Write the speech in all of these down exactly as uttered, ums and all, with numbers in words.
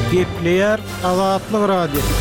Gepleýär Azatlyk Radiosy.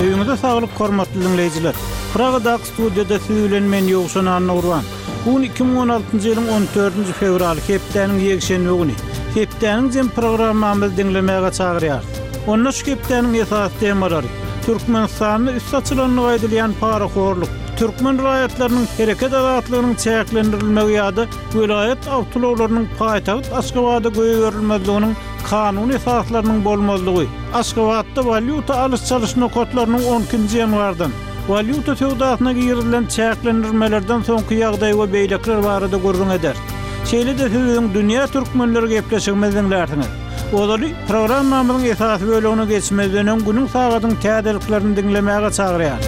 Öýüňize saglyk hormatly diňleýjiler. Pragadaky studiýada siz bilen men Ýowşan Annagurban. Bu gün iki müň on altynjy ýylyň on dördünji fewraly hepdäniň ýekşenbe güni. Hepdäniň jem programmamyzy diňlemäge çagyrýarys. Onda şu hepdäniň esasy temalary: Türkmenistanda üst açylanlygy aýdylýan parahorluk, türkmen raýatlarynyň hereket azatlygynyň çäklendirilmegi ýa-da welaýat awtoulaglarynyň paýtagt Aşgabada goýberilmezliginiň kanuny esaslarynyň bolmazlygy, Aşgabatda walýuta alyş-çalyş nokatlarynyň on ikinji ýanwardan walýuta söwdasyna girizilen çäklendirmelerden soňky ýagdaý we beýlekler barada gürrüň eder. Şeýle-de siz biziň Dünýä Türkmenleri gepleşigimizi diňlärsiňiz. Ozaly programmamyzyň esasy bölegine geçmezden öň günüň sagadyň täzeliklerini diňlemäge çagyrýar.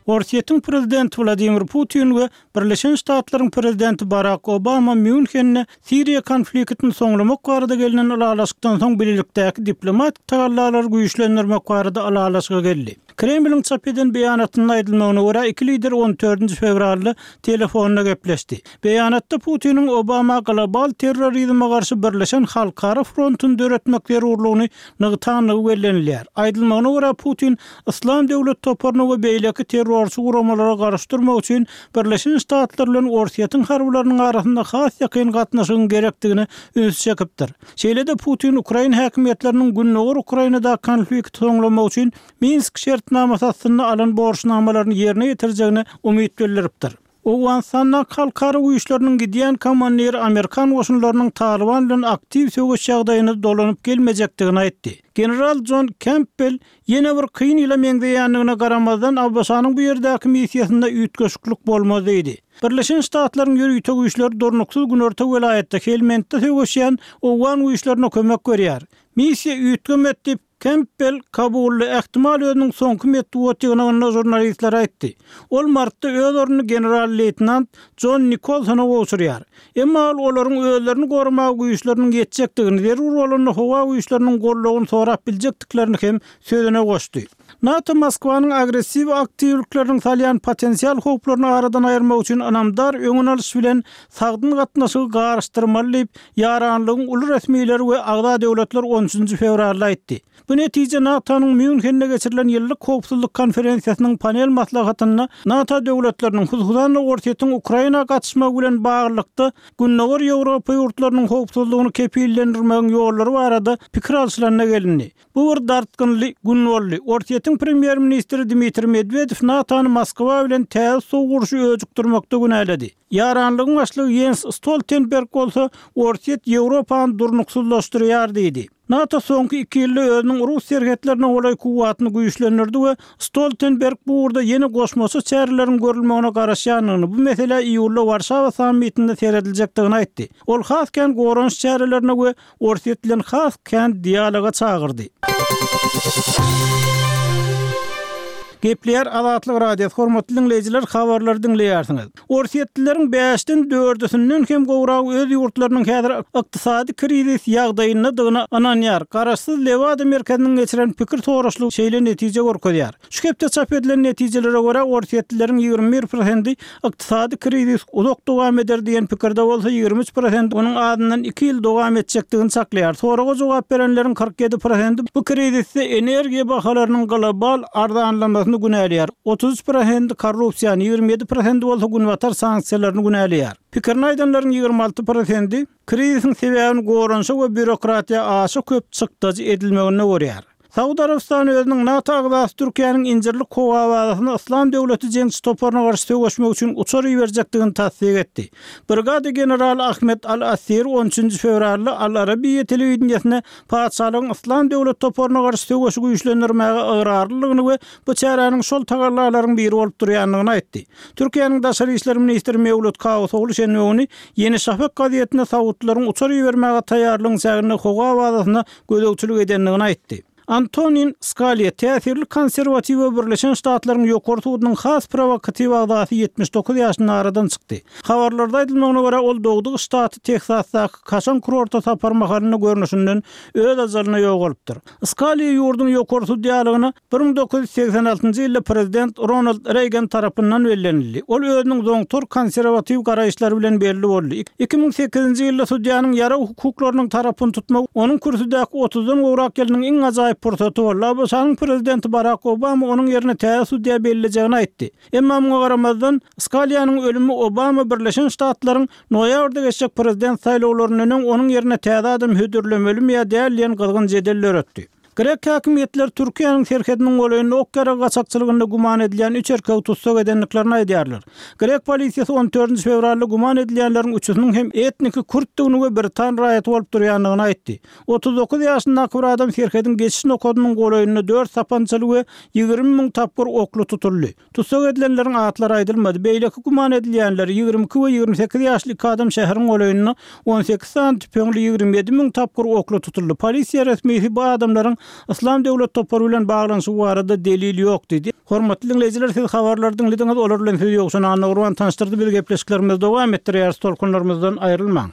Orsýetiň prezidenti Wladimir Putin we Birleşen Ştatlaryň prezidenti Barak Obama Mýunhende Siriýa konfliktini soňlamak barada gelinen ylalaşykdan soň birlikdäki diplomatik tagallalary güýçlendirmek barada ylalaşyga geldi. Kremliň çap eden beýanatynda aýdylmagyna görä iki lider on dördünji fewralda telefonda gepleşdi. Beýanatda Putiniň Obama global terrorizme garşy birleşen halkara frontuny döretmek zerurlygyny nygtanlygy bellenilýär. Aýdylmagyna görä Putin Islam döwlet toparyny we beýleki terrorçy guramalara garşy durmak üçin Birleşen Ştatlar bilen Orsýetiň harbylarynyň arasynda has ýakyn gatnaşygyň gerekdigini üns çekipdir. Şeýle-de Putin Ukraina häkimiýetleriniň Gündogar Ukrainada konflikti soňlamak üçin Minsk şertnamasy astynda alan borçnamalaryny ýerine ýetirjegine umyt bildiripdir. Owganystanda halkara güýçleriniň gidýän komandiri Amerikan goşunlarynyň Taliban bilen aktiw söweş ýagdaýyny dolanyp gelmejekdigini aýtdy. General John Campbell ýene bir kyn ýyla meňzeýändigine garamazdan ABŞ-nyň bu ýerdäki missiýasynda üýtgeşiklik bolmaz diýdi. Birleşen Ştatlaryň ýörite güýçleri durnuksyz günorta welaýatda Helmendde söweşýän Owgan güýçlerine kömek berýär. Missiýa üýtgemet diýip Campbell Kabulda ähtimal özüniň soňky metbugat ýygnagynda žurnalistlere aýtdy. Ol martda öz ornuny general-leýtenant John Nikolsona gowşurýar. Emma ol olaryň özlerini goramaga güýçleriniň ýetjekdigini, zerur bolanda howa güýçleriniň goldawyny sorap biljekdiklerini hem sözüne goşdy. NATO Moskwanyň agressiw aktiwlikleriniň salýan potensial howplaryny aradan aýyrmak üçin ynamdar öňün alyş bilen sagdyn gatnaşygy garyşdyrmaly diýip, ýaranlygyň uly resmileri we agza döwletler on üçünji fewralda aýtdy. Bu netije NATO-nyň Mýunhende geçirilen ýyllyk howpsuzlyk konferensiýasynyň panel maslahatynda NATO döwletleriniň hususan Orsýetiň Ukraina gatyşmagy bilen baglylykda Gündogar Ýewropa ýurtlarynyň howpsuzlygyny kepillendirmegiň ýollary barada pikir alşylanyna gelindi. Bu bir dartgynly gün boldy. Orsýetiň premýer-ministri Dmitri Medvedev NATO-ny Moskwa bilen täze sow urşy öjükdirmekde günäledi. Ýaranlygyň başlygy Jens Stoltenberg bolsa Orsýet Ýewropany durnuksyzlaşdyrýar diýdi. NATO soňky iki ýylda özüniň Rus serhetlerine golaý kuwwatyny güýçlendirdi we Stoltenberg bu ugurda ýene goşmaça çäreleriň görülmegine garaşýandygyny, bu mesele iýulda Warşawa sammitinde serediljekdigini aýtdy. Ol has kän goranyş çärelerine we Orsýet bilen has kän dialoga çagyrdy. Gepleýär Azatlyk Radiosy, hormatly diňleýjiler, habarlary diňleýärsiňiz. Orsýetlileriň bäşden dördüsinden hem gowragy öz ýurtlarynyň häzir ykdysady krizis ýagdaýyndadygyna ynanýar. Garaşsyz Lewada merkeziniň geçiren pikir soraşlygy şeýle netije görkezýär. Şu hepde çap edilen netijelere görä Orsýetlileriň ýigrimi bir prosenti ykdysady krizis uzak dowam eder diýen pikirde bolsa ýigrimi üç prosent onuň azyndan iki ýyl dowam etjekdigini saklaýar. Soraga jogap berenleriň kyrk ýedi prosenti bu krizisde energiýa bahalarynyň global arzanlamasyny günäleýär. Otuz üç prosenti korrupsiýany, ýigrimi ýedi prosenti bolsa günbatar sanksiýalaryny günäleýär. Pikirini aýdanlaryň ýigrimi alty prosenti krizisiň sebäbini goranyşa we býurokratiýa aşa köp çykdajy edilmeginde görýär. Saud Arabystany özüniň NATO agzasy Türkiýäniň Incirlik howa bazasyna Islam döwleti jeňçi toparyna garşy söweşmek üçin uçar iberjekdigini tassyk etdi. Brigada generaly Ahmet Al-Assir on üçünji fewralda Al-Arabiýa telewideniýesine patyşalygyň Islam döwlet toparyna garşy söweşi güýçlendirmäge ygrarlylygyny we bu çäräniň şol tagallalaryň biri bolup durýandygyny aýtdy. Türkiýäniň daşary işler ministri Mewlüt Çawuşoglu şenbe güni Ýeni Şafak gazetine Saudlaryň uçar ibermäge taýýarlygyň çäginde howa bazasyna gözegçilik edendigini aýtdy. Antonin Skaliýa täsirli konserwatiw we Birleşen Ştatlaryň Ýokary sudunyň has prowokatiw agzasy ýetmiş dokuz ýaşynda aradan çykdy. Habarlarda aýdylmagyna görä, ol dogduk ştaty Teksasdaky kaşaň kurorta sapar mahalynda görnüşinden öz ajalyna ýogalypdyr. Skaliýa ýurduň ýokary sudýalygyna bir müň dokuz ýüz segsen altynjy ýylda prezident Ronald Reýgan tarapyndan bellenildi. Ol özüniň zoňtar konserwatiw garaýyşlary bilen belli boldy. Iki müň sekizinji ýylda sudýanyň ýarag hukuklarynyň tarapyny tutmagy onuň kürsüdäki otuzdan gowrak ýylynyň iň ajaýyp pursaty boldy. A B Ş-nyň prezidenti Barak Obama onuň ýerine täze sudýa bellejegini aýtdy. Emma muňa garamazdan, Skaliýanyň ölümi Obama Birleşen Ştatlaryň noýabrda geçjek prezident saýlawlaryndan öň onuň ýerine täze adam hödürlemelimi ýa däl diýen gyzgyn jedel döretdi. Grek häkimiýetleri Türkiýäniň serhediniň golaýynda ok ýarag gaçakçylygynda güman edilýän üç erkegi tussag edendiklerini aýdýarlar. Grek polisiýasy on dördünji fewralda güman edilýänleriň üçüsiniň hem etniki kürtdigini we britan raýaty bolup durýandygyny aýtdy. Otuz dokuz ýaşyndaky bir adam serhediň geçiş nokadynyň golaýynda dört sapançaly we ýigrimi müň tapgyr okly tutuldy. Tussag edilenleriň atlary aýdylmady. Beýleki güman edilýänler ýigrimi iki we ýigrimi sekiz ýaşly iki adam şäheriň golaýynda on sekiz sany tüpeňli ýigrimi ýedi müň tapgyr okly tutuldy. Polisiýa resmisi bu adamlaryň Yslam döwlet topary bilen baglanyşygy barada delil ýok diýdi. Hormatly diňleýjiler, siz habarlary diňlediňiz, olar bilen sizi Ýowşan Annagurban tanyşdyrdy. Biz gepleşiklerimizi dowam etdirýäris, tolkunlarymyzdan aýrylmaň.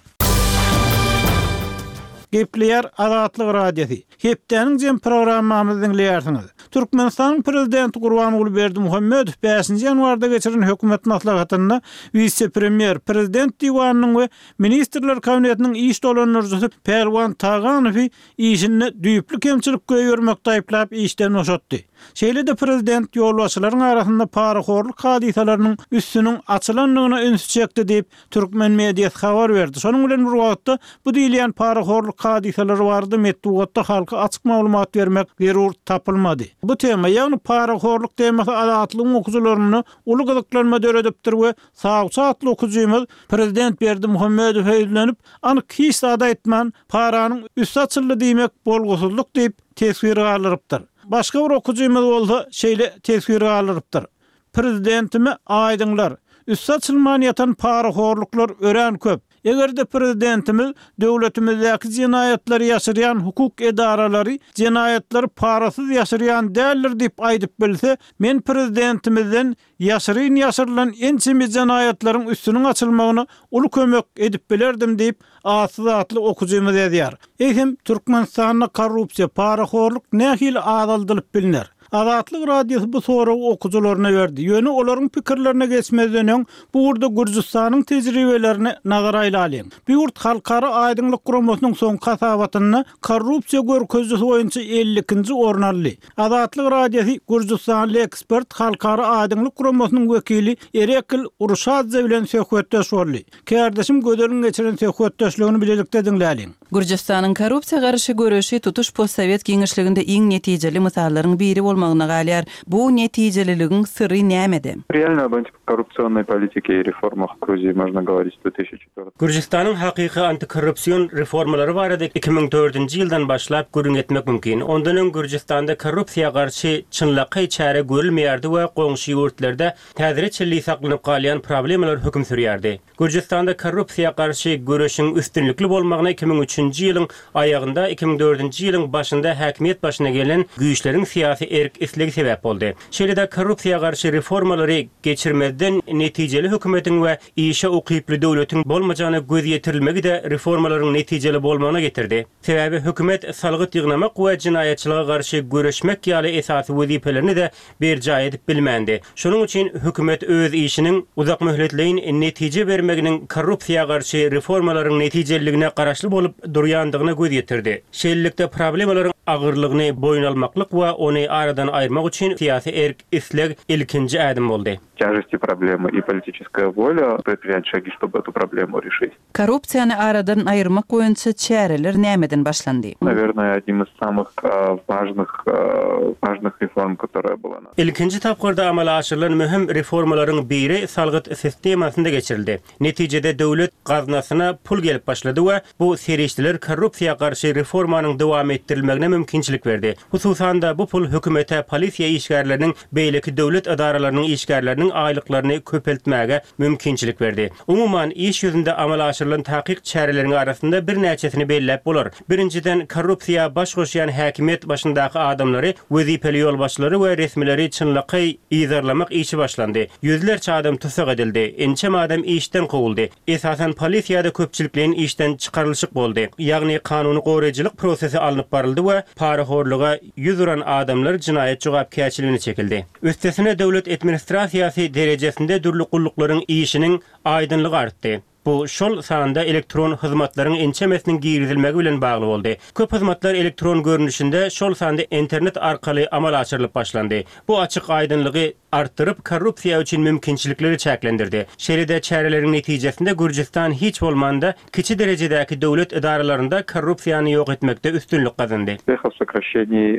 Gepleýär Azatlyk Radiosy. Hepdäniň jem programmamyzy diňleýärsiňiz. Türkmenistanyň prezidenti Gurbanguly Berdimuhamedow bäşinji ýanwarda geçiren hökümet maslahatynda wise-premýer, prezident diwanynyň we ministrler kabinetiniň iş dolandyryjysy Pälwan Taganowy işinde düýpli kemçilik goýbermekde aýyplap işden boşatdy. Şeýle-de prezident ýolbaşçylaryň arasynda parahorluk hadysalarynyň üstüniň açylandygyna ünsi çekdi diýip, türkmen mediasy habar berdi. Şonuň bilen bir wagtda bu diýilýän parahorluk hadysalary barada metbugatda halka açyk maglumat bermek zerur tapylmady. Bu tema, ýagny parahorluk temasy Azatlygyň okyjylarynda uly gyzyklanma döredipdir we Sawçy atly okyjymyz prezident Berdimuhamedowa ýüzlenip, anyk hiç zat aýtman, paranyň üsti açyldy diýmek bolgusyzlyk diýip teswir galdyrypdyr. Başga bir okyjymyz bolsa şeýle teswir galdyrypdyr. Prezidentime aýdyňlar, üsti açylman ýatan parahorluklar örän köp. Eger-de prezidentimiz döwletimizdäki jenaýatlary ýaşyrýan hukuk edaralary jenaýatlary parasyz ýaşyrýan däldir diýip aýdyp bilse, men prezidentimizden ýaşyryn ýaşyrylan ençeme jenaýatlaryň üstüniň açylmagyna uly kömek edip bilerdim diýip atsyz atly okyjymyz ýazýar. Eýsem Türkmenistanda korrupsiýa, parahorluk nähili azaldylyp bilner? Azatlyk Radiosy bu soragy okyjylaryna berdi. Ýöne olaryň pikirlerine geçmezden öň bu ugurda Gürjüstanyň tejribelerine nazar aýlalyň. Bu ýurt Halkara Aýdyňlyk Guramasynyň soňky hasabatynda korrupsiýa görkezijisi boýunça elli ikinji orun aldy. Azatlyk Radiosy Gürjüstanly ekspert Halkara Aýdyňlyk Guramasynyň wekili Erekl Uruşadze bilen söhbetdeş boldy. Kärdeşim Gözeliň geçiren söhbetdeşligini bilelikde diňläliň. Gürjüstanyň korrupsiýa garşy göreşi tutuş postsowet giňişliginde iň netijeli mysallaryň biri bolmagyna galýar. Bu netijeliligiň syry nämede? Реально об антикоррупционной политике и реформах в Грузии можно говорить с две тысячи четвёртого. Gürjüstanyň hakyky antikorrupsion reformalary barada iki müň dördünji ýyldan başlap gürrüň etmek mümkin. Ondan öň Gürjüstanda korrupsiýa garşy çynlakaý çäre görülmeýärdi we goňşy ýurtlarda täzire çenli saklanyp galýan problemalar höküm sürýärdi. Gürjüstanda korrupsiýa garşy göreşiň üstünlikli bolmagyna iki müň üçünji ýylyň aýagynda iki müň dördünji ýylyň başynda häkimiýet başyna gelen güýçleriň syýasy erk islegi sebäp boldy. Şeýle-de korrupsiýa garşy reformalary geçirmezden netijeli hökümetiň we işe ukyply döwletiň bolmajagyna göz ýetirilmegi de reformalaryň netijeli bolmagyna getirdi. Sebäbi hökümet salgyt ýygnamak we jenaýatçylyga garşy göreşmek ýaly esasy wezipelerini de berjaý edip bilmändi. Şonuň üçin hökümet öz işiniň uzak möhletleýin netije bermeginiň korrupsiýa garşy reformalaryň netijeliligine garaşly bolup durýandygyna göz ýetirdi. Şeýlelikde problemalaryň agyrlygyny boýun almaklyk we ony aradan aýyrmak üçin syýasy erk isleg ilkinji ädim boldy. Тяжести проблемы и политическая воля предпринять шаги, чтобы эту проблему решить. Korrupsiýany aradan aýyrmak boýunça çäreler nämeden başlandy? Наверное, одним из самых, э, важных, э, важных реформ, которая была. Ilkinji tapgyrda amala aşyrylan möhüm reformalaryň biri salgyt sistemasynda geçirildi. Netijede döwlet gaznasyna pul gelip başlady we bu serişdeler korrupsiýa garşy reformanyň dowam etdirilmegine mümkinçilik berdi. Hususan-da, bu pul hökümete polisiýa işgärleriniň, beýleki döwlet edaralarynyň işgärleriniň aýlyklaryny köpeltmäge mümkinçilik berdi. Umuman, iş ýüzünde amala aşyrylan takyk çäreleriň arasynda birnäçesini belläp bolar. Birinjiden, korrupsiýa baş goşýan häkimiýet başyndaky adamlary, wezipeli ýolbaşçylary we resmileri çynlakaý yzarlamak işi başlandy. Ýüzlerçe adam tussag edildi, ençeme adam işden kowuldy. Esasan polisiýada köpçülikleýin işden çykarylyşyk boldy. Ýagny kanuny goraýjylyk prosesi alnyp baryldy we parahorluga ýüz uran adamlar jenaýat jogapkärçiligine çekildi. Üstesine döwlet administrasiýasy derejesinde dürli gulluklaryň işiniň aýdyňlygy artdy. Bu şol sanda elektron hyzmatlaryň ençemesiniň girizilmegi bilen bagly boldy. Köp hyzmatlar elektron görnüşinde, şol sanda internet arkaly amala aşyrylyp başlandy. Bu açyk aýdyňlygy artdyryp, korrupsiýa üçin mümkinçilikleri çäklendirdi. Şeýle-de çäreleriň netijesinde Gürjüstan hiç bolmanda kiçi derejedäki döwlet edaralarynda korrupsiýany ýok etmekde üstünlik gazandy. Успехов в сокращении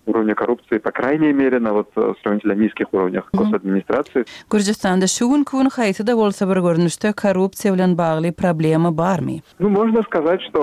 уровня коррупции, по крайней мере, на вот сравнительно низких уровнях госадминистрации. Gürjüstanda şu günki gün haýsy-da bolsa bir görnüşde korrupsiýa bilen bagly problema barmy? Ну, можно сказать, что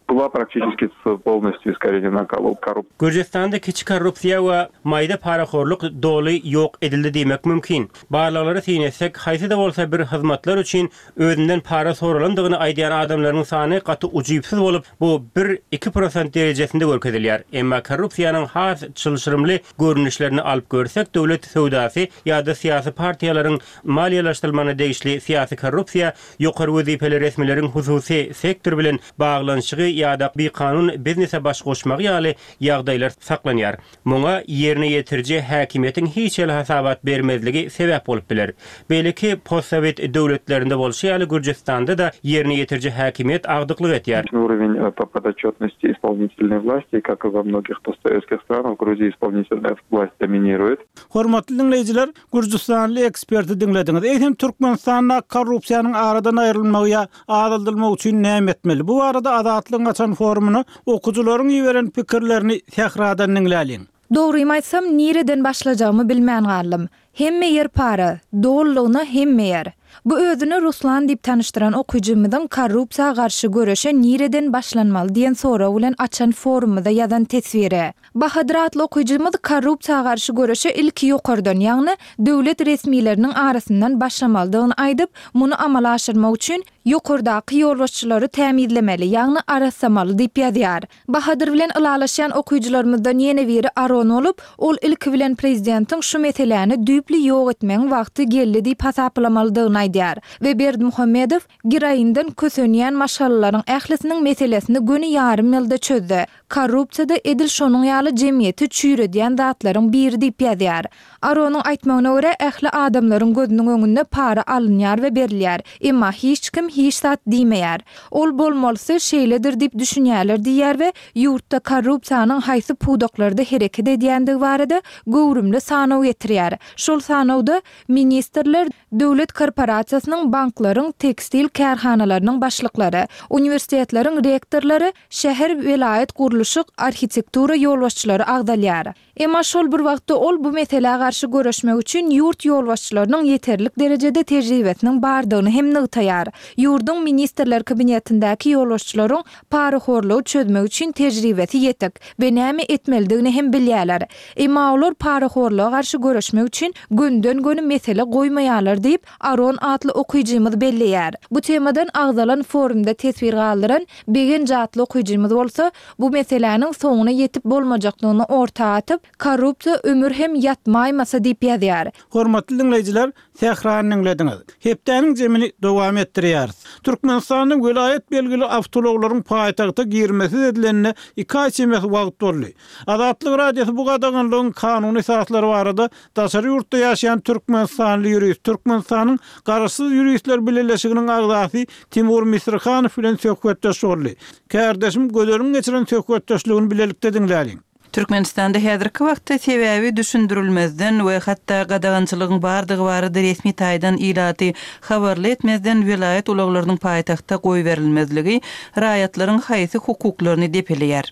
была практически полностью искоренена коррупция. Gürjüstanda kiçi korrupsiýa we maýda parahorluk doly ýok edildi diýmek mümkin. Barlyklary syn etsek, haýsy-da bolsa bir hyzmatlar üçin özünden para soralandygyny aýdýan adamlaryň sany gaty ujypsyz bolup, bu bir iki prosent derejesinde görkezilýär. Emma korrupsiýanyň has çylşyrymly görnüşlerini alyp görsek, döwlet söwdasy ýa-da syýasy partiýalaryň maliýeleşdirilmegine degişli syýasy korrupsiýa, ýokary wezipeli resmileriň hususy sektor bilen baglanyşygy ýa-da bikanun biznese baş goşmagy ýaly ýagdaýlar saklanýar. Muňa ýerine ýetiriji häkimiýetiň hiç hili hasabat bermezligi sebäp bolup biler. Beýleki postsowet döwletlerinde bolşy ýaly Gürjüstanda-da ýerine ýetiriji häkimiýet agdyklyk etýär. Уровень по подотчетности исполнительной власти, как и во многих постсоветских странах, в Грузии исполнительная власть доминирует. Hormatly diňleýjiler, Gürjüstanly eksperti diňlediňiz. Eýsem Türkmenistanda korrupsiýanyň aradan aýrylmagy ýa azaldylmagy üçin näme etmeli? Bu barada Azatlygyň açan forumyna okyjylaryň iberen pikirlerini Sähradan diňläliň. Dogrymy aýtsam, nireden başlajagymy bilmän galdym. Hemme ýer para, dolulygyna hemme ýer. Bu özüni Ruslan diýip tanyşdyran okyjymyzyň korrupsiýa garşy göreşe nireden başlanmaly diýen sorag bilen açan forumymyzda ýazan teswiri. Bahadyr atly okyjymyz korrupsiýa garşy göreşe ilki ýokardan, ýagny döwlet resmileriniň arasyndan başlamalydygyny aýdyp, muny amala aşyrmak üçin ýokardaky ýolbaşçylary tämizlemeli, ýagny arasamaly diýip ýazýar. Bahadyr bilen ylalaşýan okyjylarymyzdan ýene biri Aron bolup, ol ilki bilen prezidentiň şu meseläni düýpli ýok etmegiň wagty geldi diýip hasaplamalydygyny aýdýar we Berdimuhamedow giroinden kösenýän maşgalalaryň ählisiniň meselesini göni ýarym ýylda çözdi. Korrupsiýada edil şonuň ýaly jemgyýeti çüýredýän zatlaryň biri diýip ýazýar. Aronyň aýtmagyna görä ähli adamlaryň gözüniň öňünde para alynýar we berilýär. Emma hiç kim hiç zat diýmeýär. Ol bolmalysy şeýledir diýip düşünýärler diýýär we ýurtda korrupsiýanyň haýsy pudaklarda hereket edýändigi barada göwrümli sanaw getirýär. Şol sanawda ministrler, döwlet korporasiýasynyň, banklaryň, tekstil kärhanalarynyň başlyklary, uniwersitetleriň rektorlary, şäher welaýat gurluşyk, arhitektura ýolbaşçylary agdalýar. Emma şol bir wagtda ol bu meselä garşy göreşmek üçin ýurt ýolbaşçylarynyň ýeterlik derejede tejribesiniň bardygyny hem nygtaýar. Ýurduň ministrler kabinetindäki ýolbaşçylaryň parahorlugy çözmek üçin tejribesi ýetik we näme etmelidigini hem bilýärler. Emma olar parahorluga garşy göreşmek üçin günden-göni mesele goýmaýarlar diýip Aron atly okyjymyz belleýär. Bu temadan agzalan forumda teswir galdyran Begenç atly okyjymyz bolsa, bu meseläniň soňuna ýetip bolmajakdygyny orta atyp, korrupsiýa ömür hem ýatmaýmasa diýip ýazýar. Hormatly diňleýjiler, Sährany diňlediňiz. Hepdäniň jemini dowam etdirýäris. Türkmenistanyň welaýat belgili awtoulaglaryň paýtagta girmesiz edilenine iki aý çemesi wagt boldy. Azatlyk Radiosy bu gadaganlygyň kanuny esaslary barada daşary ýurtda ýaşaýan Türkmenistanly ýurist, Türkmenistanyň Garaşsyz Ýuristler Bileleşiginiň agzasy Timur Misrihanow bilen söhbetdeş boldy. Kärdeşim Gözeliň geçiren söhbetdeşligini bilelikde diňläliň. Türkmenistanda häzirki wagtda sebäbi düşündirilmezden we hatda gadagançylygyň bardygy barada resmi taýdan ilaty habarly etmezden welaýat ulaglarynyň paýtagta goýberilmezligi raýatlaryň haýsy hukuklaryny depeleýär?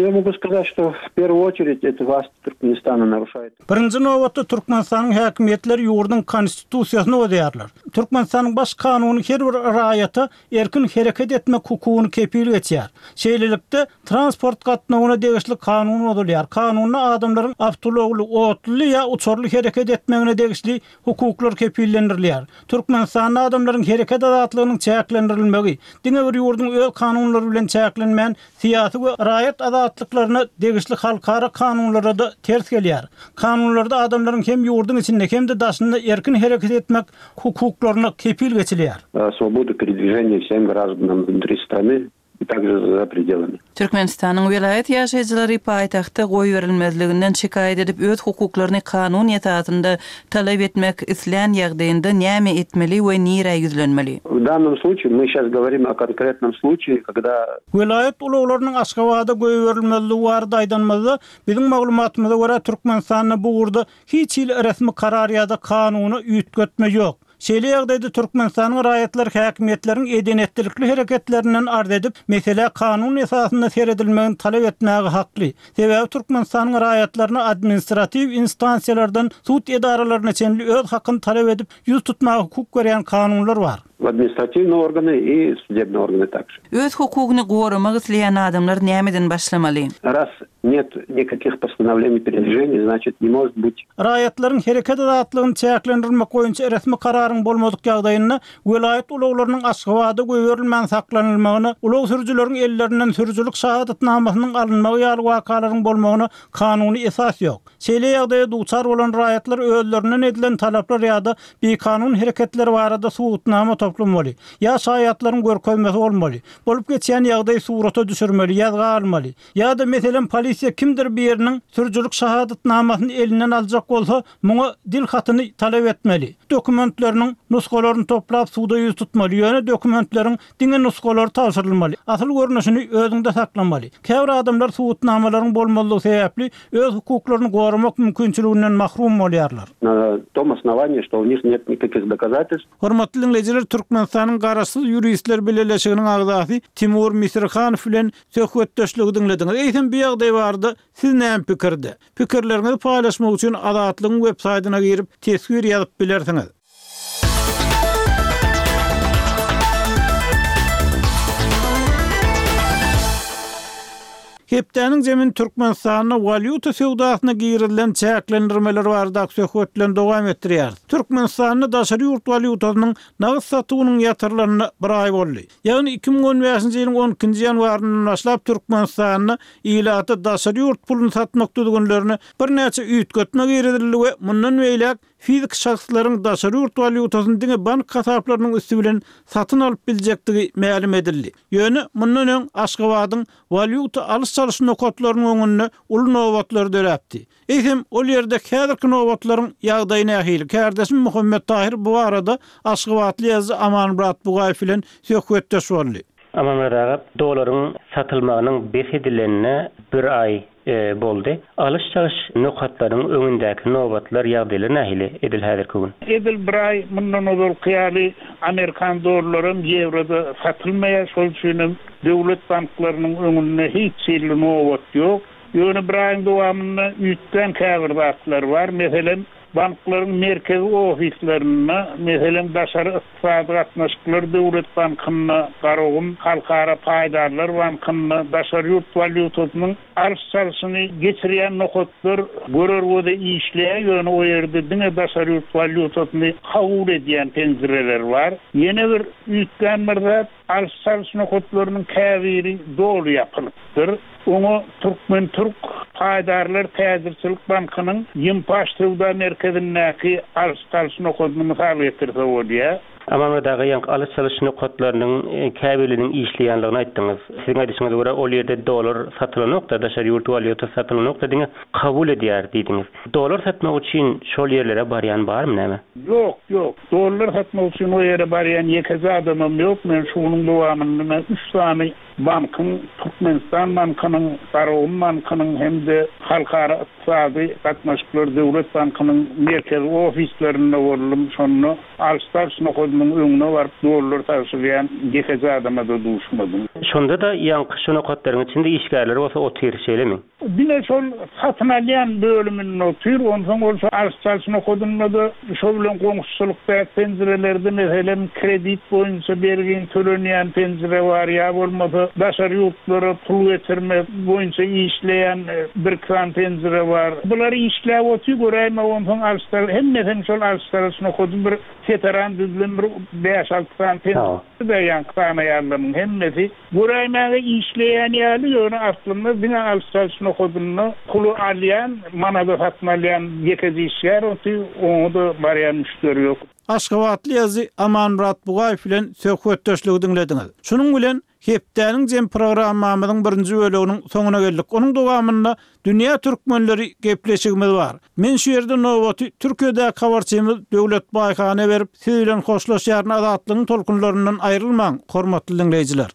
Я могу сказать, что в первую очередь это власть Туркменистана нарушает. Birinji nobatda Türkmenistanyň häkimiýetleri ýurduň konstitusiýasyny bozýarlar. Türkmenistanyň baş kanuny her bir raýata erkin hereket etmek hukugyny kepil geçýär. Şeýlelikde transport gatnawyna degişli kanun bozulýar. Kanunda adamlaryň awtoulagly, otly ýa uçarly hereket etmegine degişli hukuklar kepillendirilýär. Türkmenistanda adamlaryň hereket azatlygynyň çäklendirilmegi diňe bir ýurduň öz kanunlary bilen çäklenmän, syýasy we raýat azatlyklaryna degişli halkara kanunlara da ters gelýär. Kanunlarda adamlaryň hem ýurduň içinde hem-de daşynda erkin hereket etmek hukuklaryna kepil geçilýär. Свободу передвижения всем гражданам внутри страны и также за пределами. Türkmenistanyň welaýat ýaşaýjylary paýtagtda goýberilmezliginden şikaýat edip öz hukuklaryny kanun esasynda talap etmek islän ýagdaýynda näme etmeli we nirä ýüzlenmeli? В данном случае мы сейчас говорим о конкретном случае, когда Welaýat ulaglarynyň Aşgabada goýberilmezligi barada aýdanymyzda, biziň maglumatymyza görä Türkmenistanda bu ugurda hiç hili resmi karar ýa-da kanuny üýtgetme ýok. Şeýle ýagdaýda Türkmenistanyň raýatlar häkimiýetleriniň edenetlilikli hereketlerinden arz edip, mesele kanun esasynda seredilmegini talap etmäge hakly. Sebäbi Türkmenistanyň raýatlaryna administratiw instansiýalardan sud edaralaryna çenli öz hakyny talap edip, ýüz tutmaga hukuk berýän kanunlar bar. В административные органы и судебные органы также. Öz hukugyny goramak isleýän adamlar nämeden başlamaly? Раз нет никаких постановлений передвижения, значит, не может быть. Raýatlaryň hereket azatlygyny çäklendirmek boýunça resmi kararyň bolmadyk ýagdaýynda welaýat ulaglarynyň Aşgabada goýberilmän saklanylmagyna, ulag sürüjileriň ellerinden sürüjilik şahadatnamasynyň alynmagy ýaly wakalaryň bolmagyna kanuny esas ýok. Şeýle ýagdaýa duçar bolan raýatlar özlerinden edilen talaplar ýa-da bikanun hereketler barada subutnama toplamaly. Ýa şaýatlaryň görkezmesi bolmaly. Bolup geçýän ýagdaýy surata düşürmeli, ýazga almaly. Ýa-da meselem polisiýa kimdir biriniň sürüjilik şahadatnamasyny elinden aljak bolsa, muňa dil hatyny talap etmeli. Dokumentleriniň nusgalaryny toplap suda ýüz tutmaly. Ýöne dokumentleriň diňe nusgalary tabşyrylmaly. Asyl görnüşini özüňde saklamaly. Käbir adamlar subutnamalaryň bolmalygy sebäpli öz hukuklaryny goramak mümkinçiliginden mahrum bolýarlar. На том основании, что у них нет никаких доказательств. Hormatly dinleýjiler, Türkmenistanyň Garaşsyz ýuristler bileleşiginiň agzasy Timur Misirhanow bilen söhbetdeşligi diňlediňiz. Eýsem bu ýagdaý barada siz näme pikirde? Pikirleriňizi paýlaşmak üçin Azatlygyň web saýtyna girip teswir ýazyp bilersiňiz. Hepdäniň zemin Türkmenistanda walýuta söwdasyna girilen çäklendirmeler barada söhbet bilen dowam etdirýär. Türkmenistanda daşary ýurt walýutasynyň nagt satuwynyň ýatyrlaryna bir aý boldy. Ýagny iki müň on bäşinji ýylyň on ikinji ýanwaryndan başlap Türkmenistanda ilata daşary ýurt puluny satmak düzgünlerine birnäçe üýtgetme girizildi we mundan beýläk fizik şahslaryň daşary ýurt walýutasyny diňe bank hasaplarynyň üsti bilen satyn alyp biljekdigi mälim edildi. Ýöne mundan öň Aşgabadyň walýuta alyş-çalyş nokatlarynyň öňünde uly nobatlar döräpdi. Eýsem ol ýerde häzirki nobatlaryň ýagdaýy nähili? Kärdeşim Muhammet Tahir bu arada Aşgabatly ýazyjy Amanmyrat Bugaýew bilen söhbetdeş boldy. Amanmyrat aga, dolaryň satylmagynyň bes edilenine bir aý, e, boldy. Alyş-çalyş nokatlaryň öňündäki nobatlar ýagdaýlary nähili edil häzirki gün? Edil bir aý mundan ozalky ýaly Amerikan dollaryň ýewroda satylmaýar. Şol üçin hem döwlet banklarynyň öňünde hiç hili nobat ýok. Ýöne bir aýyň dowamynda üýtgän käbir zatlar bar. Meselem, banklaryň merkezi ofislerinde, meselem, daşary ykdysady gatnaşyklar döwlet bankynda, Garagum Halkara Paýdarlar bankynda daşary ýurt walýutasynyň alyş-çalşyny geçirýän nokatlar görer göze işleýär. Ýöne o ýerde diňe daşary ýurt walýutasyny kabul edýän penjireler bar. Ýene bir üýtgän bir zat, alyş-çalyş nokatlarynyň käbiri doly ýapylypdyr. Oňa Türkmen Türk Paýdarlar Täjirçilik Bankynyň Ýympaş söwda merkezindäki alyş-çalyş nokadyny mysal getirse bolýar. Amanmyrat aga, ýaňky alyş-çalyş nokatlarynyň, e, käbirleriniň işleýänligini aýtdyňyz. Siziň aýdyşyňyza görä ol ýerde dolar satylanokda, daşary ýurt walýutasy satylanokda diňe kabul edýär diýdiňiz. Dolar satmak üçin şol ýerlere barýan barmy näme? Ýok, ýok. Dolar satmak üçin o ýere barýan ýekeje adamam ýok. Men şunuň dowamynda üç sany Bankyň, Türkmenistan bankynyň, Garagum bankynyň hem-de Halkara ykdysady gatnaşyklar döwlet bankynyň merkezi ofislerinde boldum. Şonda alyş-çalyş nokadynyň öňüne baryp dollar tabşyrýan ýekeje adama-da duşmadym. Şonda-da ýaňky şu nokatlaryň içinde işgärler bolsa otyr, şeýlemi? Diňe şol satyn alýan bölüminde otyr, onsoň bolsa alyş-çalyş nokadynda-da şo bilen goňşuçylykdaky penjirelerde, meselem, kredit boýunça bergiň tölenýän penjire bar, ýa bolmasa daşary ýurtlara pul geçirmek boýunça işleýän bir-iki sany penjire bar. Bular işläp otyr, göräýme, onsoň alyş-çalyş, hemmesem şol alyş-çalyş nokady bir seteran düzülen bir bäş-alty sany penjire, ýaňky sanaýanlaryň hemmesi göräýmäge işleýän ýaly, ýöne aslynda diňe alyş-çalyş nokadynda puly alýan, manada satyn alýan ýekeje işgär otyr, oňa-da barýan müşderi ýok. Aşgabatly ýazyjy Amanmyrat Bugaýew bilen söhbetdeşligi diňlediňiz. Şunuň bilen hepdäniň jem programmamyzyň birinji böleginiň soňuna geldik. Onuň dowamynda Dünýä türkmenleri gepleşigimiz bar. Men şu ýerde nobaty Türkiýedäki habarçymyz Döwlet Baýhana berip, siz bilen hoşlaşýaryn. Azatlygyň tolkunlaryndan aýrylmaň, hormatly diňleýjiler.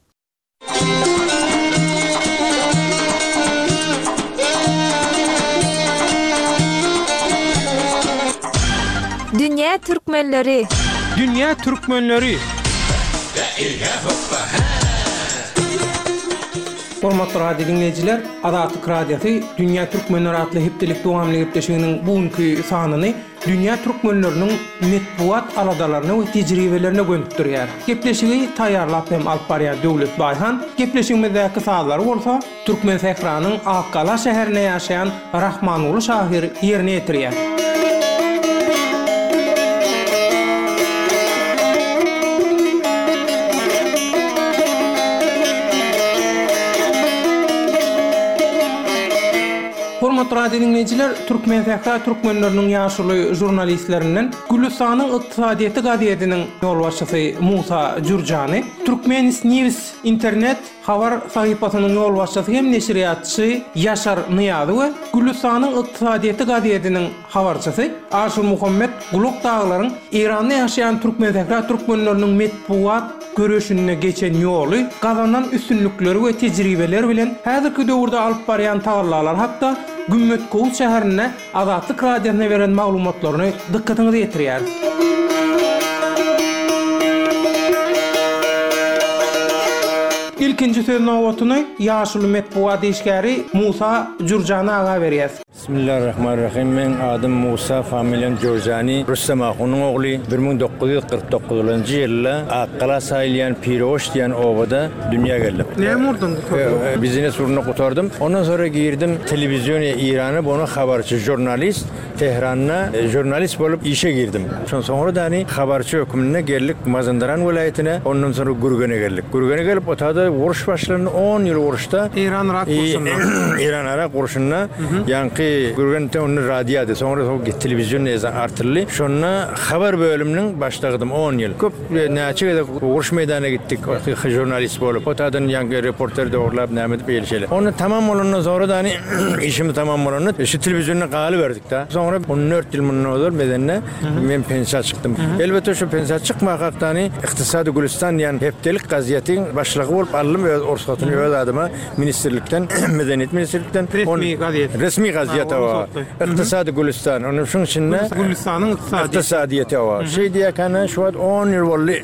Dünýä türkmenleri. Dünýä türkmenleri. Hormatly radio diňleýjiler, Azatlyk Radiosy Dünýä türkmenleri atly hepdelik dowamly gepleşiginiň bu günki sanyny dünýä türkmenleriniň metbugat aladalaryna we tejribelerine gönükdirýär. Gepleşigi taýýarlap hem alyp barýan Döwlet Baýhan, gepleşigimizdäki sazlary bolsa Türkmensähranyň Akgala şäherinde ýaşaýan Rahmanguly şahyr ýerine ýetirýär. Hormatly radio diňleýjiler, Türkmensähra türkmenleriniň ýaşuly žurnalistlerinden Gülüstanyň ykdysadyýeti gazetiniň ýolbaşçysy Musa Jürjany, Türkmenis News internet habar sahypasynyň ýolbaşçysy hem neşirýatçy Ýaşar Nyýazy we Gülüstanyň ykdysadyýeti gazetiniň habarçysy Aşyrmuhammet Gulak daglaryň Eýranda ýaşaýan Türkmensähra türkmenleriniň metbugat göreşinde geçen ýoly, gazanan üstünlikleri we tejribeleri bilen häzirki döwürde alyp barýan tagallalary hakda Gümmetkowus şäherinde Azatlyk Radiosyna beren maglumatlaryny dykgatyňyza ýetirýäris. Ilkinji söz nobatyny ýaşuly metbugat işgäri Musa Jürjany aga berýäs. Bismillahirrahmanirrahim. Meň adym Musa, familiýam Jürjani, Rüstem ahunyň ogly. Bir müň dokuz ýüz kyrk dokuzynjy ýylda Akgala saýylýan Piroş diýen obada dünýä geldim. Näme ugurdan gutardyň? Biznes ugruna gutardym. Ondan soňra girdim telewizioniýa Eýrana, buna habarçy, žurnalist. Tehranda žurnalist bolup işe girdim. Şondan soňra dani habarçy hökmünde geldik Mazandaran welaýatyna, ondan soňra Gürgene geldik. Gürgene gelip, otada uruş başlandy, on ýyl uruşda. Eýran-Yrak urşunda. Eýran-Yrak urşunda ýaňky Gürgende onda radiody, soňra soň telewizion artyldy. Şonda habar bölüminiň başlygydym on ýyl. Köp näçe gezek uruş meýdanyna gitdik, žurnalist bolup. Otadan ýaňky reporter dogrulap näme edip beýle şeýle. Onda tamam bolandan soňra dani işimiz tamam bolanda şu telewizionda galyberdik da. Soňra on dört ýyl mundan ozal medende men pensiýa çykdym. Elbetde şu pensiýa çykmakak dani Ykdysady Gülüstan diýen hepdelik gazetiň başlygy bolup aldym öz ruhsatyny öz adyma ministrlikden, medeniýet ministrlikden. Resmi gazet. Resmi gazet o. Ykdysady Gülüstan. Onuň şuň içinde Gülüstanyň ykdysady. Ykdysadyýeti o. Şeý diýekene şu wagt on ýyl boldy.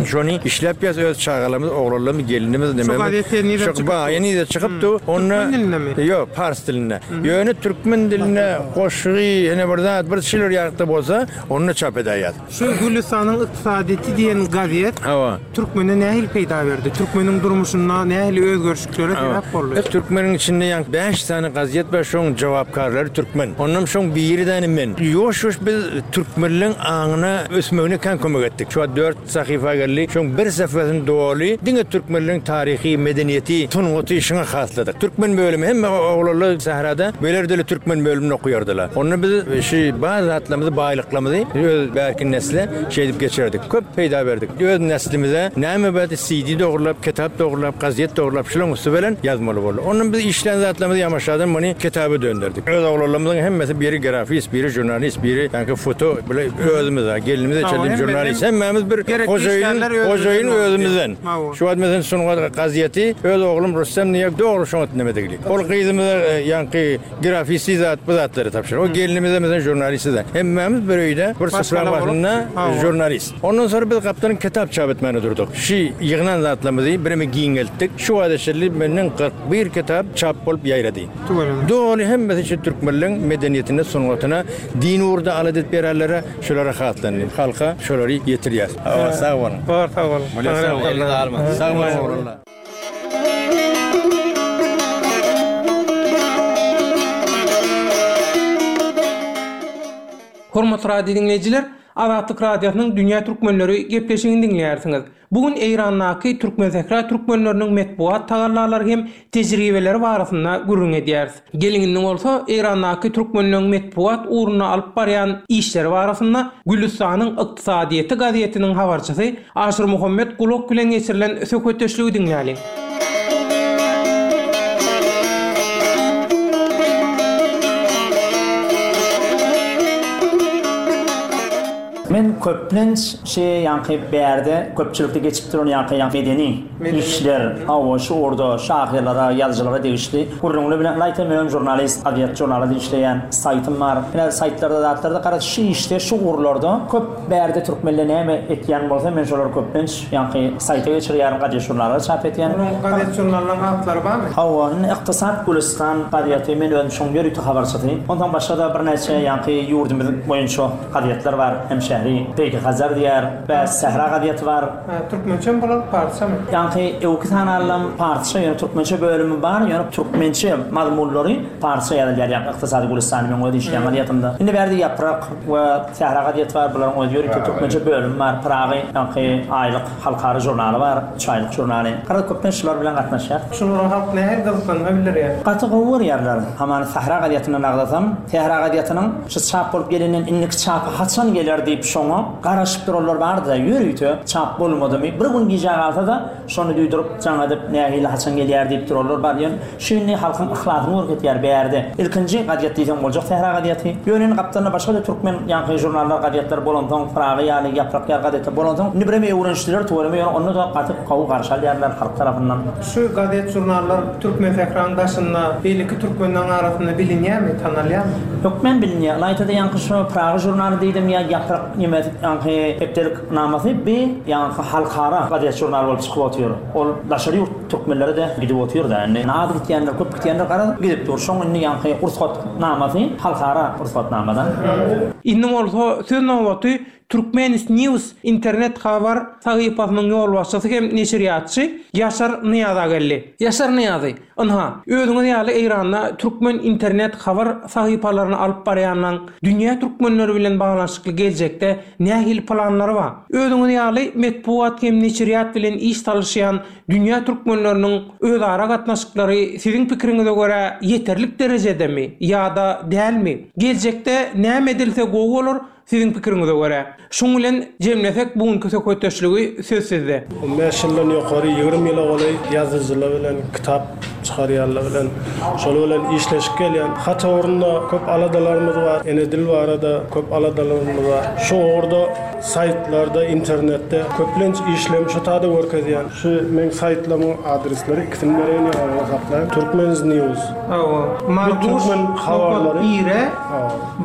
Şony işläp ýaz öz çagalarymyz, oglanlarymyz, gelinimiz nememiz. Şu gazet nirede çykypdy? Şu nirede çykypdy? Onda Türkmen dilindemi? Ýok, pars dilinde. Ýöne türkmen dilinde goşgy, ýene bir zat, bir şeyler ýakda bolsa, onu çap edäýär. Şu Gülüstanyň ykdysadyýeti diýen gazet Hawa. türkmene nähili peýda berdi? Türkmeniň durmuşynda nähili özgerişliklere sebäp boldy? Türkmeniň içinde ýa bäş sany gazet bar, şoň jogapkarlary türkmen. Ondan şoň biri däni men. Ýoş-ýoş biz türkmenleň aňyna ösmegine kän kömek etdik. Şu dört sahypa geldi. Şoň bir sahypasyny doly diňe türkmenleň taryhy, medeniýeti, sungaty şoňa hasladyk. Türkmen bölümi hem oglanlar sährada beler dili türkmen bölümini okuýardylar. Onda biz şu bazı zatlarymyzy, baýlyklarymyzy öz bärki nesle şeýdip geçirdik. Köp peýda berdik. Öz neslimize näme berdi? C D dogrulap, kitap dogrulap, gazet dogrulap, şulaň üstü bilen ýazmaly boldy. Ondan biz işlän zatlarymyzy ýamaşadan muny kitaba dönderdik. Öz oglanlarymyzyň hemmesi biri grafist, biri žurnalist, biri ýaňky foto bile özümiz, gelinimiz çenli žurnalist. Hemmämiz bir hojaýyn, hojaýyn özümizden. Şu wagt meselem sungat gazeti öz oglum Rustem niýe dogry şoňa neme degili. Ol gyzymyza ýaňky grafisti zat bu zatlary tapşyr. O gelinimize meselem žurnalist da. Hemmämiz bir öýde bir sufra başynda žurnalist. Ondan sonra biz gaptanyň kitap çap etmäne durduk. Şu ýygnan zatlarymyzy birimi giňeltdik. Şu wada şerli menden kyrk bir kitap çap bolup ýaýrady. Doly hemmesi şu türkmenleň medeniýetine, sungatyna, din ugrunda alat edip bererlere şolara hatlandy. Halka şolary ýetirýär. Sag boluň. Bar, sag boluň. Sag boluň. Hormatly radio dinleýjiler, Azatlyk Radiosynyň Dünýä Türkmenleri gepleşigini dinleýärsiňiz. Bugün Eýrandaky Türkmen Sähra türkmenleriniň metbugat tagallalary hem tejribeleri barasynda gürrüň edýäris. Geliň bolsa Eýrandaky türkmenleriň metbugat ugruna alyp barýan işleri barasynda Gülüstanyň ykdysadyýeti gazetiniň habarçysy Aşyr Muhammed Gulak bilen geçirilen söhbetdeşligi dinläliň. Men köplenç şey ýanky bärde köpçülikde geçip duran ýanky ýanky medeni işler, hawa şu orda şahyrlara, ýazyjylara degişli gürrüňler bilen laýta men žurnalist, gazet žurnaly işleýän saýtym bar. Ine saýtlarda zatlarda garaz şu işde şu ugurlarda köp bärde türkmenler näme etýän bolsa men şolar köplenç ýanky saýta geçirýärin, gazet žurnallara çap etýän. Onuň gazet žurnalynyň atlary barmy? Hawa, indi Ykdysat Gülüstan gazeti men özüm şoň ýörite habarçysy. Ondan başga da birnäçe ýanky ýurdumyz boýunça gazetler bar. Hem şähri Peki Hazar diýär, we Sähra gazeti bar. Türkmençe bolan parça mı? Ýanky ewki sanallam parça, ýöne türkmençe bölümi bar, ýöne türkmençe mazmunlary parça ýazylýar, ýa Ykdysady Gülüstan men öz işleýän gazetinde. Indi bärde Ýaprak we Sähra gazeti bar, bularyň öz ýörite türkmençe bölümi bar. Pragy ýanky aýlyk halkara žurnaly bar, üç aýlyk žurnaly. Garaz köpden şular bilen gatnaşýar. Şulara halk nähili gyzyklanma bildirýär? Gaty gowy görýärler. Hamany Sähra gazetinden agzasam, Sähra gazetiniň şu çap bolup gelenden indiki çapy haçan geler diýip şoňa garaşyp duranlar bardy, ýörite çap bolmadymy? Bir gün gije galsa da şonu duýduryp jaň edip nähili haçan gelýär diýip duranlar bar. Ýöne şu indi halkyň yhlasyny görkezýär bärde. Ilkinji gazet diýsem boljak Sähra gazeti. Ýöne gapdalynda başga da türkmen ýanky žurnallar gazetler bolansoň, Pragy ýaly Ýaprak ýaly gazetler bolansoň, indi bireme öwrenişdiler tuweleme, ýöne onda da gaty gowy garşy alýarlar halk tarapyndan. Şu gazet žurnallar Türkmen Sähranyň daşynda beýleki türkmenleň arasynda bilinýärmi, tanalýarmy? Hökmen bilinýär. Laýtada ýanky şu Pragy žurnaly diýdim ýa Ýaprak neme ýanky hepdelik namasy bi ýanky halkara gazet žurnaly bolup çykyp otyr. Ol daşary ýurt türkmenleri de gidip otyr da. Indi az gitýänler, köp gitýänler garaz gidip dur. Şoň indi ýanky ruhsat namasy halkara ruhsat namadan. Indi bolsa söz nobaty Turkmenis News internet habar sahypasynyň ýolbaşçysy hem neşirýatçy Ýaşar Nyýaza geldi. Ýaşar Nyýazy, ynha, özüňiz ýaly Eýranda türkmen internet habar sahypalaryny alyp barýanlaň dünýä türkmenleri bilen baglanyşykly geljekde nähili planlary bar? Özüňiz ýaly metbugat hem neşirýat bilen iş salyşýan dünýä türkmenleriniň özara gatnaşyklary siziň pikiriňize görä ýeterlik derejedemi ýa-da dälmi? Geljekde näme edilse gowy bolar? Siziň pikiriňize görä. Şuň bilen jemlesek bugünkü söhbetdeşligi söz sizde. on beş ýyldan ýokary ýigrimi ýyla golaý ýazyjylar bilen kitap çykarýanlar bilen şol bilen işleşip gelýän. Hat ugrunda köp aladalarymyz bar, ene dil barada köp aladalarymyz bar. Şu ugurda saýtlarda, internetde köplenç işlem şu tada görkezýän. Şu men saýtlamyň adresleri ikisini bereýin ýa saklaýyn. Turkmen News. Hawa. Marguş habarlary ire,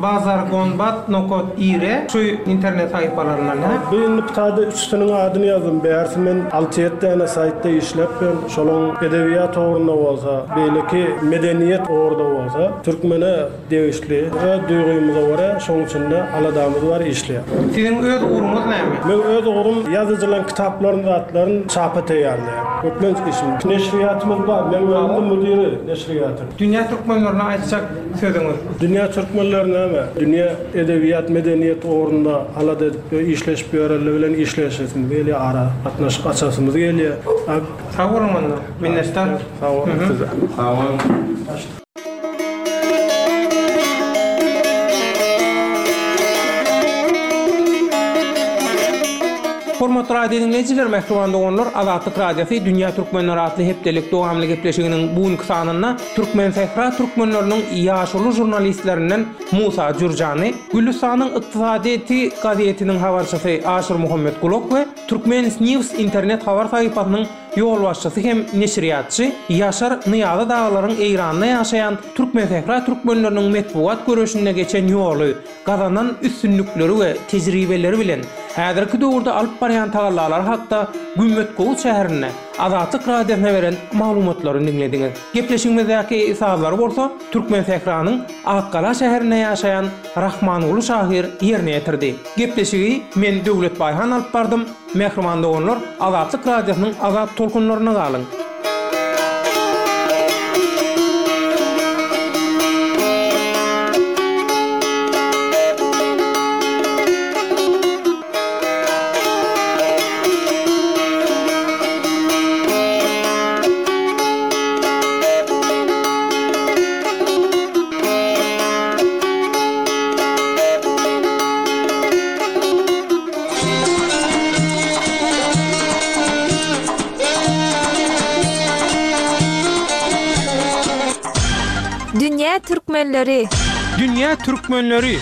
Bazargonbat nokot ire şu internet saýtlaryndan ha. Bu indi tada üçüsiniň adyny ýazdym. Bärsi men alty ýedi tane saýtda işläp ben şolaň edebiýat ugrunda bolsa, beýleki medeniýet ugrunda bolsa, türkmene degişli we duýgymyza görä şoň üçin aladamyz bar işleýär. Siziň öz ugruňyz näme? Men öz ugrum ýazyjylaryň kitaplaryny, zatlaryny çapa taýýarlaýan. Köplenç işim. Neşirýatymyz bar. Men özüm müdiri neşirýatyň. Dünýä türkmenlerine aýtjak sözüňiz? Dünýä türkmenleri näme? Dünýä edebiýat, medeniýet ugrunda alada edip işleşip ýörelle bilen işleşesimiz gelýär, ara gatnaşyk açasymyz gelýär. Sag boluň onda. Minnetdar. Sag boluň size. Sag boluň. Hormatly radio diňleýjiler, mähriban doganlar, Azatlyk Radiosy Dünýä Türkmenleri atly hepdelik dowamly gepleşiginiň bu günki sanynda Türkmensähra türkmenleriniň ýaşuly žurnalistlerinden Musa Jürjany, Gülüstanyň ykdysadyýeti gazetiniň habarçysy Aşyrmuhammet Gulak we Turkmen News internet habar sahypasynyň ýolbaşçysy hem neşirýatçy Ýaşar Nyýazy dagylaryň Eýranda ýaşaýan Türkmensähra türkmenleriniň metbugat göreşinde geçen ýoly, gazanan üstünlikleri we tejribeleri bilen häzirki döwürde alyp barýan tagallalary hakda Gümmetgowuz şäherinde Azatlyk Radiosyna beren maglumatlaryny diňlediňiz. Gepleşigimizdäki sazlary bolsa Türkmensähranyň Akgala şäherinde ýaşaýan Rahmanguly şahyr ýerine ýetirdi. Gepleşigi men Döwlet Baýhan alyp bardym. Mähriban doganlar, Azatlyk Radiosynyň azat tolkunlarynda galyň! Dünýä türkmenleri! Dünýä türkmenleri!